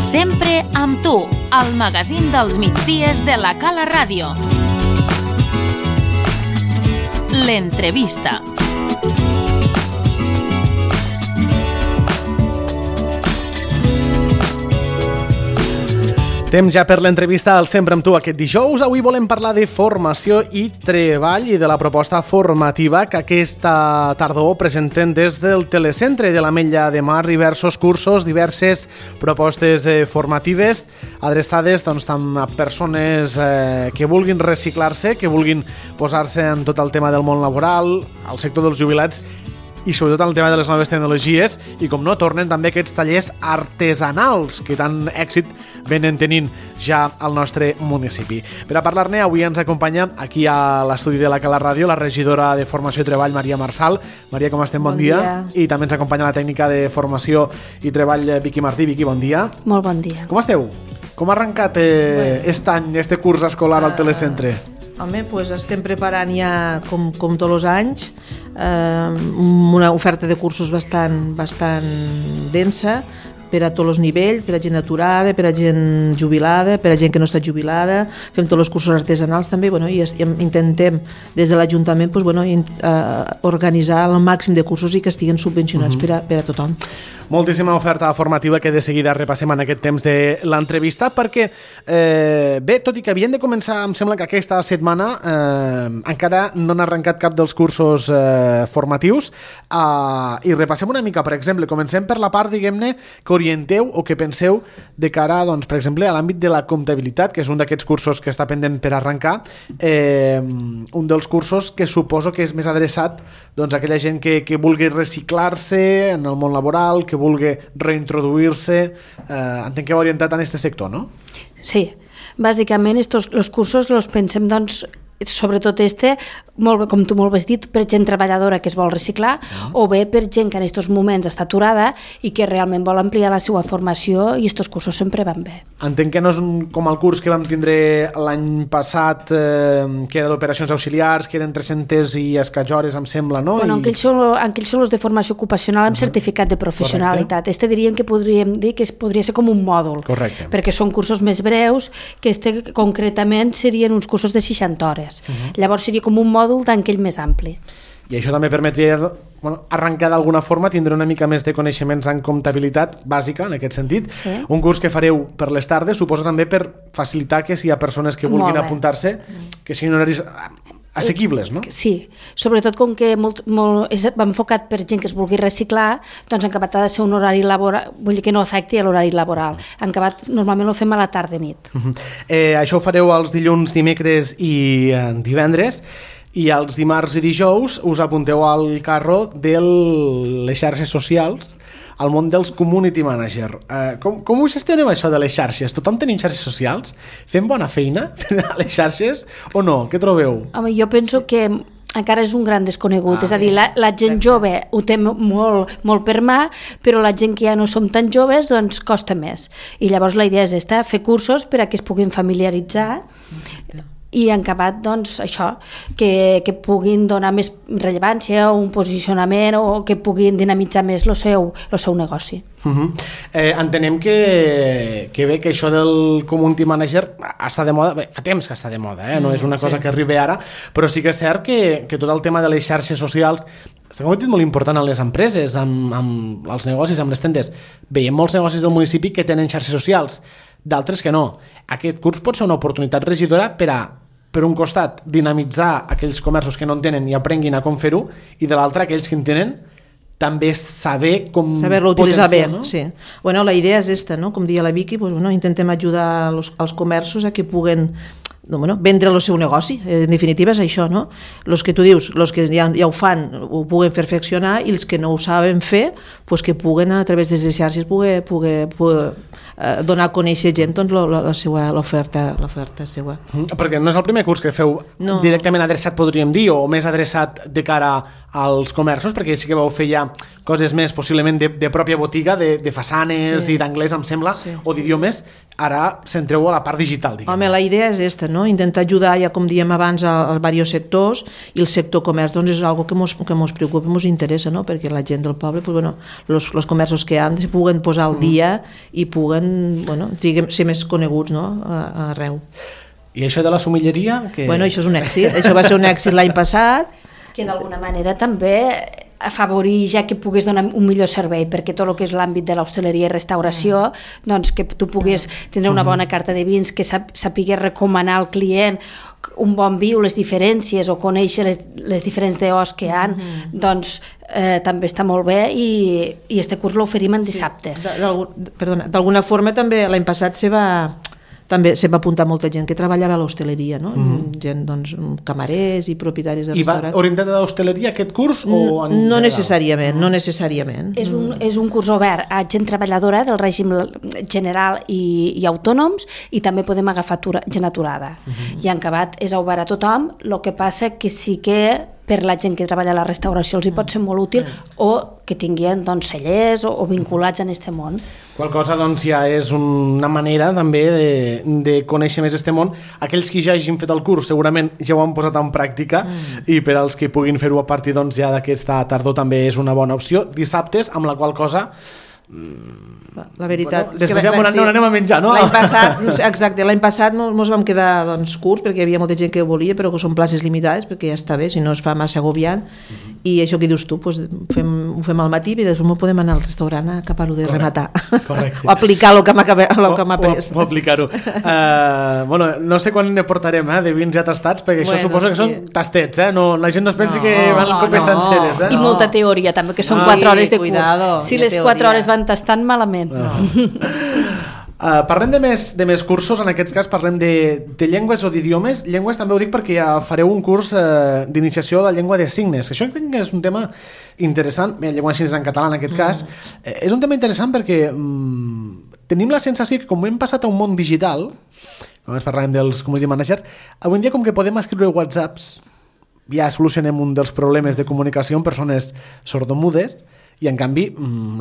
Sempre amb tu, al magazín dels migdies de la Cala Ràdio. L'entrevista. Temps ja per l'entrevista al Sempre amb tu aquest dijous. Avui volem parlar de formació i treball i de la proposta formativa que aquesta tardor presenten des del Telecentre de l'Ametlla de Mar, diversos cursos, diverses propostes formatives adreçades tant a persones que vulguin reciclar-se, que vulguin posar-se en tot el tema del món laboral, al sector dels jubilats i sobretot en el tema de les noves tecnologies i, com no, tornen també aquests tallers artesanals que tant èxit venen tenint ja al nostre municipi. Per a parlar-ne, avui ens acompanya aquí a l'estudi de la Cala Ràdio la regidora de Formació i Treball, Maria Marsal. Maria, com estem? Bon dia. I també ens acompanya la tècnica de Formació i Treball, Vicky Martí. Vicky, bon dia. Molt bon dia. Com esteu? Com ha arrencat aquest any, este curs escolar al Telecentre? Home, doncs estem preparant ja, com tots els anys, una oferta de cursos bastant densa per a tots els nivells, per a gent aturada, per a gent jubilada, per a gent que no està jubilada. Fem tots els cursos artesanals també, i intentem des de l'Ajuntament organitzar el màxim de cursos i que estiguin subvencionats per a tothom. Moltíssima oferta formativa que de seguida repassem en aquest temps de l'entrevista perquè, bé, tot i que havien de començar, em sembla que aquesta setmana encara no han arrencat cap dels cursos formatius i repassem una mica, per exemple, comencem per la part, diguem-ne, que orienteu o que penseu de cara, doncs, per exemple, a l'àmbit de la comptabilitat, que és un d'aquests cursos que està pendent per arrencar, un dels cursos que suposo que és més adreçat doncs, a aquella gent que vulgui reciclar-se en el món laboral, que vulgui reintroduir-se, entenc que va orientat en aquest sector, no? Sí, bàsicament els cursos els pensem, doncs, sobretot molt bé, com tu molt bé has dit, per gent treballadora que es vol reciclar o bé per gent que en aquests moments està aturada i que realment vol ampliar la seva formació i aquests cursos sempre van bé. Entenc que no és com el curs que vam tindre l'any passat, que era d'operacions auxiliars, que eren 300 i escaig hores, em sembla, no? Bueno, aquells són els de formació ocupacional amb certificat de professionalitat. Diríem que podríem dir que podria ser com un mòdul. Correcte. Perquè són cursos més breus, que concretament serien uns cursos de 60 hores. Llavors seria com un mòdul d'anquell més ampli. I això també permetria arrencar d'alguna forma, tindre una mica més de coneixements en comptabilitat bàsica, en aquest sentit. Sí. Un curs que fareu per les tardes, suposo també per facilitar que si hi ha persones que vulguin apuntar-se, que siguin horaris assequibles, no? Sí, sobretot com que va enfocat per gent que es vulgui reciclar, doncs en acabat ha de ser un horari laboral, vull dir que no afecti l'horari laboral. En acabat normalment ho fem a la tarda-nit. Això ho fareu els dilluns, dimecres i divendres, i els dimarts i dijous us apunteu al carro de les xarxes socials, al món dels community manager. Com ho gestionem això de les xarxes? Tothom tenim xarxes socials? Fem bona feina a les xarxes o no? Què trobeu? Home, jo penso que encara és un gran desconegut, és a dir, la gent jove ho té molt per mà, però la gent que ja no som tan joves doncs costa més. I llavors la idea és fer cursos per a que es puguin familiaritzar i en acabat, doncs, això, que puguin donar més rellevància o un posicionament o que puguin dinamitzar més el seu negoci. Entenem que bé, que això del community manager està de moda, bé, fa temps que està de moda, no és una cosa que arribi ara, però sí que és cert que tot el tema de les xarxes socials s'ha convertit molt important en les empreses, amb els negocis, amb les tendes. Veiem molts negocis del municipi que tenen xarxes socials, d'altres que no. Aquest curs pot ser una oportunitat regidora per un costat, dinamitzar aquells comerços que no en tenen i aprenguin a com fer-ho, i de l'altre, aquells que en tenen, també saber-lo utilitzar bé, no? Sí. Bueno, la idea és esta, no? Com deia la Vicky, intentem ajudar els comerços a que puguen vendre el seu negoci, en definitiva és això, no? Els que tu dius, els que ja ho fan ho puguen perfeccionar i els que no ho saben fer, que puguen a través de les xarxes poder donar a conèixer gent l'oferta seva. Perquè no és el primer curs que feu directament adreçat, podríem dir, o més adreçat de cara als comerços, perquè sí que vau fer ja coses més possiblement de pròpia botiga, de façanes i d'anglès, em sembla, o d'idiomes. Ara centreu a la part digital, diguem. Home, la idea és esta, no? Intentar ajudar, ja com diem abans, als diversos sectors, i el sector comerç doncs, és una cosa que ens preocupa, ens interessa, no? Perquè la gent del poble, els comerços que han, se puguen posar al dia i puguen bueno, ser més coneguts, no? Arreu. I això de la somilleria? Bueno, això és un èxit. Això va ser un èxit l'any passat. Que d'alguna manera també afavorir ja que puguis donar un millor servei, perquè tot el que és l'àmbit de l'hostaleria i restauració, doncs que tu puguis tindre una bona carta de vins, que sapigués recomanar al client un bon vi o les diferències o conèixer les diferents DOs que hi ha, doncs també està molt bé i este curs l'oferim en dissabtes. Perdona, d'alguna forma també l'any passat també se va apuntar molta gent que treballava a l'hostaleria, no? Gent, doncs, camarers i propietaris de restaurants. I va orientat a l'hostaleria aquest curs? No necessàriament, no necessàriament. És un curs obert a gent treballadora del règim general i autònoms, i també podem agafar gent aturada. I en acabat és obert a tothom, el que passa que sí que per la gent que treballa a la restauració els hi pot ser molt útil, o que tinguin doncs, cellers o vinculats en aquest món. Qual cosa doncs, ja és una manera també de conèixer més aquest món. Aquells que ja hagin fet el curs segurament ja ho han posat en pràctica, i per als que puguin fer-ho a partir doncs, ja d'aquesta tardor també és una bona opció. Dissabtes, amb la qual cosa la veritat és que després ja anem a menjar, no? L'any passat, exacte, l'any passat ens vam quedar doncs, curts, perquè hi havia molta gent que ho volia, però que són places limitades, perquè ja està bé, si no es fa massa agobiant, i això que dius tu, doncs, ho fem al matí i després podem anar al restaurant a acabar-ho de rematar. Correcte. O aplicar el que m'ha après. O aplicar-ho. Bueno, no sé quan ne portarem de vins ja tastats, perquè això suposo que són tastets, no, la gent no es pensi que van copes senceres. I molta teoria també, que són 4 hores de curs. Si les 4 hores van tastant, malament. Parlem de més cursos, en aquest cas parlem de llengües o d'idiomes. Llengües també ho dic perquè ja fareu un curs d'iniciació a la llengua de signes. Això crec que és un tema interessant. Bé, llengua de signes en català en aquest cas. És un tema interessant perquè tenim la sensació que com hem passat a un món digital, només parlàvem dels community manager, avui en dia com que podem escriure whatsapps, ja solucionem un dels problemes de comunicació amb persones sordomudes, i en canvi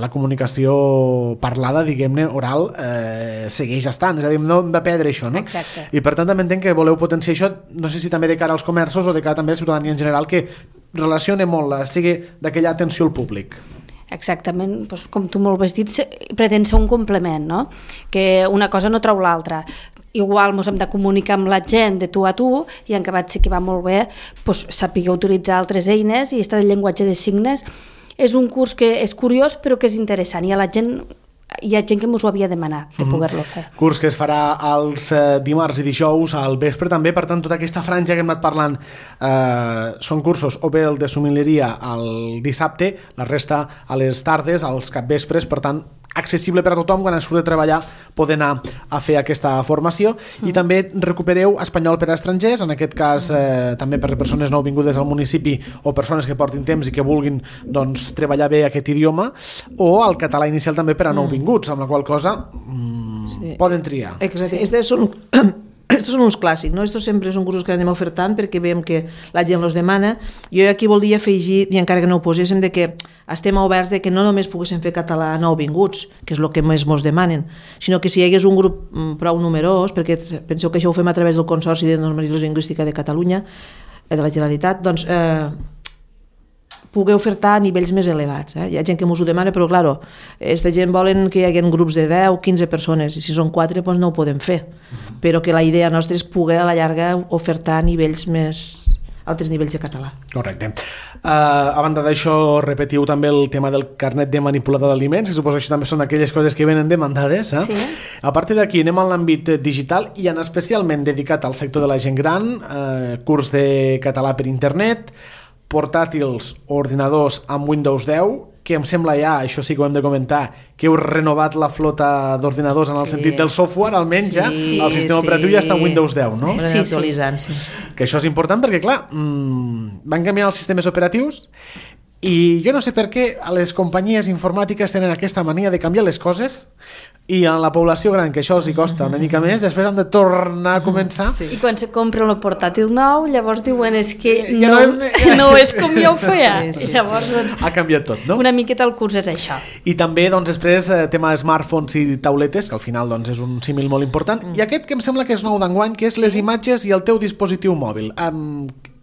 la comunicació parlada, diguem-ne, oral, segueix estant, és a dir, no hem de perdre això, no? Exacte. I per tant també entenc que voleu potenciar això, no sé si també de cara als comerços o de cara també a la ciutadania en general, que relacione molt, sigui d'aquella atenció al públic. Exactament, doncs, com tu molt has dit, pretén ser un complement, no? Que una cosa no treu l'altra. Igual ens hem de comunicar amb la gent de tu a tu, i en acabat sí que va molt bé doncs, saber utilitzar altres eines, i este llenguatge de signes és un curs que és curiós però que és interessant, i hi ha gent que ens ho havia demanat de poder-lo fer. Curs que es farà els dimarts i dijous al vespre també, per tant tota aquesta franja que hem anat parlant són cursos o bé el de sommelieria al dissabte, la resta a les tardes, als capvespres, per tant accessible per a tothom, quan surt de treballar poder anar a fer aquesta formació. I també recupereu espanyol per a estrangers, en aquest cas també per a persones nouvingudes al municipi o persones que portin temps i que vulguin doncs, treballar bé aquest idioma, o el català inicial també per a nouvinguts, amb la qual cosa poden triar. Exacte, estos són uns clàssics, no? Estos sempre són cursos que anem ofertant perquè veiem que la gent els demana. Jo aquí voldria afegir, i encara que no ho poséssim, de que estem oberts de que no només poguéssim fer català nouvinguts, que és el que més mos demanen, sinó que si hi hagués un grup prou numerós, perquè penseu que això ho fem a través del Consorci de Normalització Lingüística de Catalunya, de la Generalitat, doncs poder ofertar a nivells més elevats. Hi ha gent que ens ho demana, però clar, aquesta gent volen que hi hagi grups de 10, 15 persones, i si són 4 doncs no ho podem fer, però que la idea nostra és poder a la llarga ofertar nivells més altres nivells de català. Correcte. A banda d'això, repetiu també el tema del carnet de manipulador d'aliments, i suposo que això també són aquelles coses que venen demandades. Sí. A partir d'aquí anem a l'àmbit digital i en especialment dedicat al sector de la gent gran, curs de català per internet, portàtils o ordinadors amb Windows 10, que em sembla ja, això sí que ho hem de comentar, que heu renovat la flota d'ordinadors en el sentit del software, almenys ja, el sistema operatiu ja està en Windows 10, no? Sí, actualitzant, sí. Que això és important perquè, clar, van canviar els sistemes operatius i jo no sé per què a les companyies informàtiques tenen aquesta mania de canviar les coses, i a la població gran, que això els hi costa una mica més, després han de tornar a començar. Sí. I quan se compren el portàtil nou, llavors diuen que no és com jo ho feia. Sí. Llavors, doncs, ha canviat tot, no? Una miqueta el curs és això. I també, doncs, després, tema de smartphones i tauletes, que al final doncs, és un símil molt important. I aquest que em sembla que és nou d'enguany, que és les imatges i el teu dispositiu mòbil.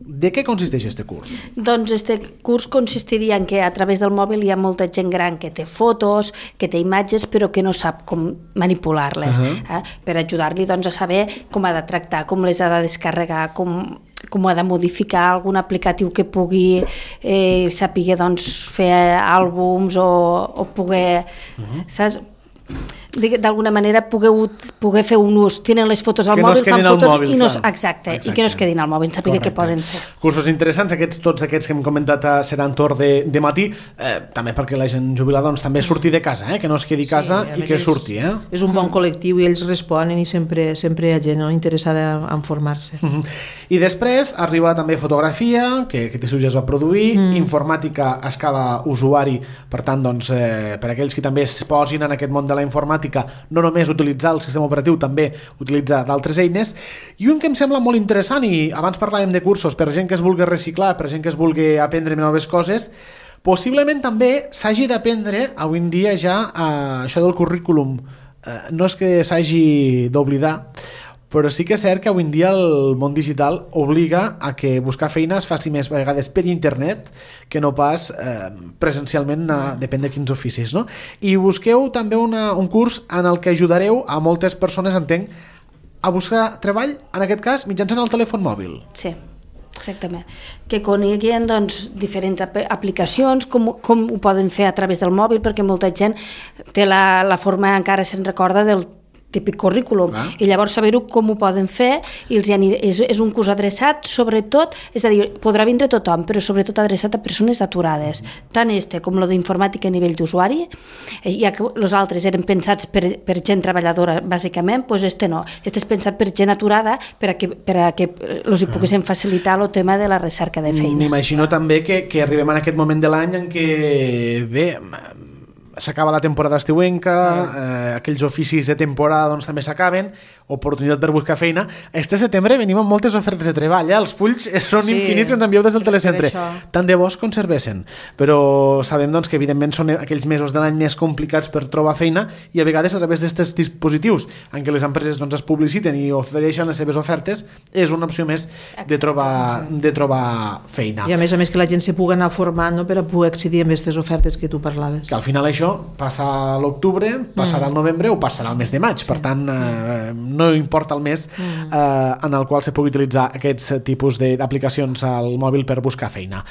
De què consisteix aquest curs? Doncs aquest curs consistiria en que a través del mòbil hi ha molta gent gran que té fotos, que té imatges, però que no sap com manipular-les, per ajudar-li doncs, a saber com ha de tractar, com les ha de descarregar, com ha de modificar algun aplicatiu que pugui saber doncs, fer àlbums o poder, saps? D'alguna manera poder fer un ús. Tenen les fotos al mòbil, fan fotos i que no es quedin al mòbil, saber què poden fer. Cursos interessants, tots aquests que hem comentat seran torn de matí, també perquè la gent jubilada també surti de casa, que no es quedi a casa i que surti. És un bon col·lectiu i ells responen i sempre hi ha gent interessada en formar-se. I després arriba també fotografia, que aquest estiu ja es va produir, informàtica a escala usuari, per tant, per aquells que també es posin en aquest món de la informàtica, no només utilitzar el sistema operatiu, també utilitzar d'altres eines, i un que em sembla molt interessant, i abans parlàvem de cursos per gent que es vulgui reciclar, per gent que es vulgui aprendre noves coses, possiblement també s'hagi d'aprendre avui en dia ja això del currículum. No és que s'hagi d'oblidar, però sí que és cert que avui en dia el món digital obliga a que buscar feina es faci més vegades per internet que no pas presencialment, depèn de quins oficis, no? I busqueu també un curs en el que ajudareu a moltes persones, entenc, a buscar treball, en aquest cas, mitjançant el telèfon mòbil. Sí, exactament. Que coneguin doncs, diferents aplicacions, com ho poden fer a través del mòbil, perquè molta gent té la forma, encara se'n recorda, del típic currículum, i llavors saber-ho com ho poden fer, i és un curs adreçat, sobretot, és a dir, podrà vindre tothom, però sobretot adreçat a persones aturades, tant com lo d'informàtica a nivell d'usuari, ja que els altres eren pensats per gent treballadora, bàsicament, doncs no, és pensat per gent aturada per a que els hi poguessin facilitar el tema de la recerca de feines. M'imagino també que arribem en aquest moment de l'any en què, bé, s'acaba la temporada estiuenca, aquells oficis de temporada doncs, també s'acaben, oportunitat per buscar feina. Este setembre venim amb moltes ofertes de treball, els fulls són infinits que ens envieu des del telecentre. Tant de bo es conservessin, però sabem doncs, que evidentment són aquells mesos de l'any més complicats per trobar feina, i a vegades a través d'aquests dispositius en què les empreses doncs, es publiciten i ofereixen les seves ofertes, és una opció més de trobar feina. I a més que la gent se pugui anar formant, no?, per a poder accedir a aquestes ofertes que tu parlaves. Que al final això passa a l'octubre, passarà al novembre o passarà al mes de maig, per tant no importa el mes en el qual se pugui utilitzar aquests tipus d'aplicacions al mòbil per buscar feina.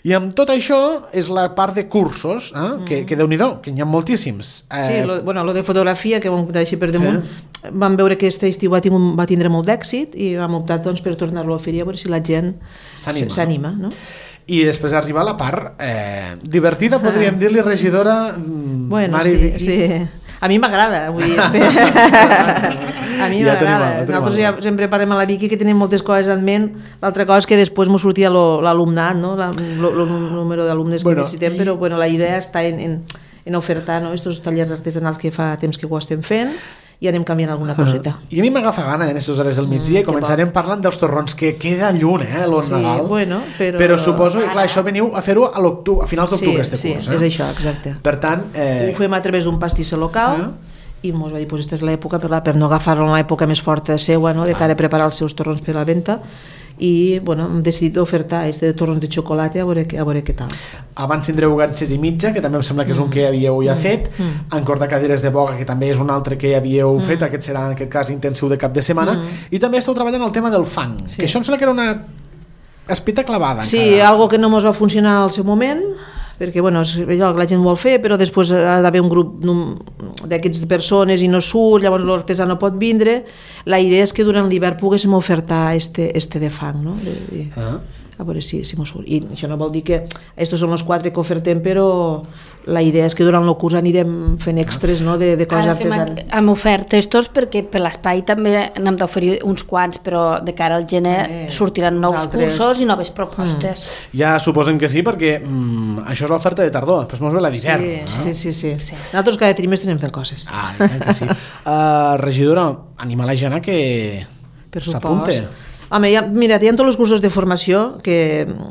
I amb tot això és la part de cursos, que Déu-n'hi-do, que n'hi ha moltíssims. Sí, lo de fotografia, que vam deixar per damunt, vam veure que aquest estiu va tindre molt d'èxit i vam optar doncs, per tornar-lo a oferir, a veure si la gent s'anima, no? I després arriba la part divertida, podríem dir-li, regidora. Bueno, sí. A mi m'agrada, vull dir. A mi m'agrada. Nosaltres ja sempre parlem a la Vicky que tenim moltes coses en ment. L'altra cosa és que després m'ho sortia l'alumnat, no? El número d'alumnes que necessitem, però la idea està en ofertar aquests tallers artesanals que fa temps que ho estem fent, i anem canviant alguna coseta. I a mi m'agafa gana en aquestes hores del migdia i començarem parlant dels torrons, que queda lluny, l'on Nadal. Però suposo que, clar, això veniu a fer-ho a finals d'octubre, este curs. Sí, és això, exacte. Per tant... Ho fem a través d'un pastisser local, i ens va dir, aquesta és l'època per no agafar-lo en l'època més forta seua, de cara a preparar els seus torrons per la venda, i hem decidit ofertar de torrons de xocolata, a veure què tal. Abans tindreu ganxet i mitja, que també em sembla que és un que havíeu ja fet, encor de cadires de boga, que també és un altre que havíeu fet, aquest serà en aquest cas intensiu de cap de setmana, i també esteu treballant el tema del fang, que això em sembla que era una espita clavada. Sí, algo que no ens va funcionar al seu moment, perquè és allò que la gent vol fer, però després ha d'haver un grup d'aquestes persones i no surt, llavors l'artesà no pot vindre. La idea és que durant l'hivern poguéssim ofertar este de fang, no? A veure si m'ho surt. I això no vol dir que estos són els 4 que ofertem, però la idea és que durant el curs anirem fent extras, no?, de coses artesanes. Amb ofertes tots, perquè per l'espai també n'hem d'oferir uns quants, però de cara al gener sortiran nous cursos i noves propostes. Ja suposem que sí, perquè això és l'oferta de tardor, després mos ve la d'hivern. Sí. Nosaltres cada trimestre anem fent coses. Que sí. Regidora, anima la gent a que s'apunte. Home, hi ha tots els cursos de formació,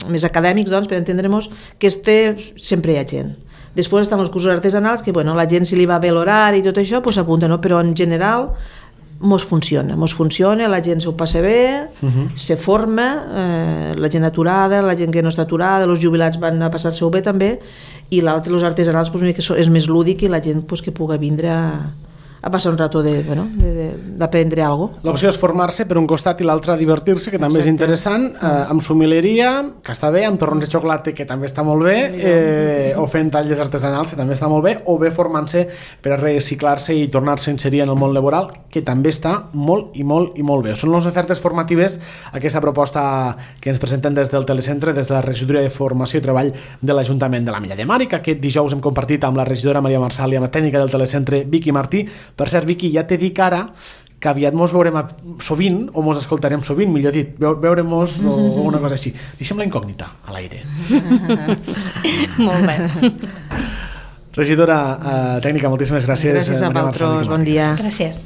més acadèmics, per entendre-nos, que sempre hi ha gent. Després estan els cursos artesanals, que la gent, si li va bé l'horari i tot això, s'apunta, no? Però en general mos funciona, la gent s'ho passa bé, se forma, la gent aturada, la gent que no està aturada, els jubilats van a passar-se-ho bé també, i l'altre, els artesanals, és més lúdic i la gent que pugui vindre a passar un rato d'aprendre alguna cosa. L'opció és formar-se per un costat i l'altre divertir-se, que també és interessant, amb sommeleria, que està bé, amb torrons de xocolata, que també està molt bé, o fent talles artesanals, que també està molt bé, o bé formant-se per a reciclar-se i tornar-se a inserir en el món laboral, que també està molt i molt i molt bé. Són les ofertes formatives, aquesta proposta que ens presenten des del Telecentre, des de la Regidoria de Formació i Treball de l'Ajuntament de l'Ametlla de Mar, i que aquest dijous hem compartit amb la regidora Maria Marsal i amb la tècnica del Telecentre Vicky Martí. Per cert, Vicky, ja t'he dit ara que aviat mos veurem sovint, o mos escoltarem sovint, millor dit, veurem-mos o una cosa així. Deixem la incògnita a l'aire. Molt bé. Regidora tècnica, moltíssimes gràcies. Gràcies a vosaltres, bon dia. Gràcies.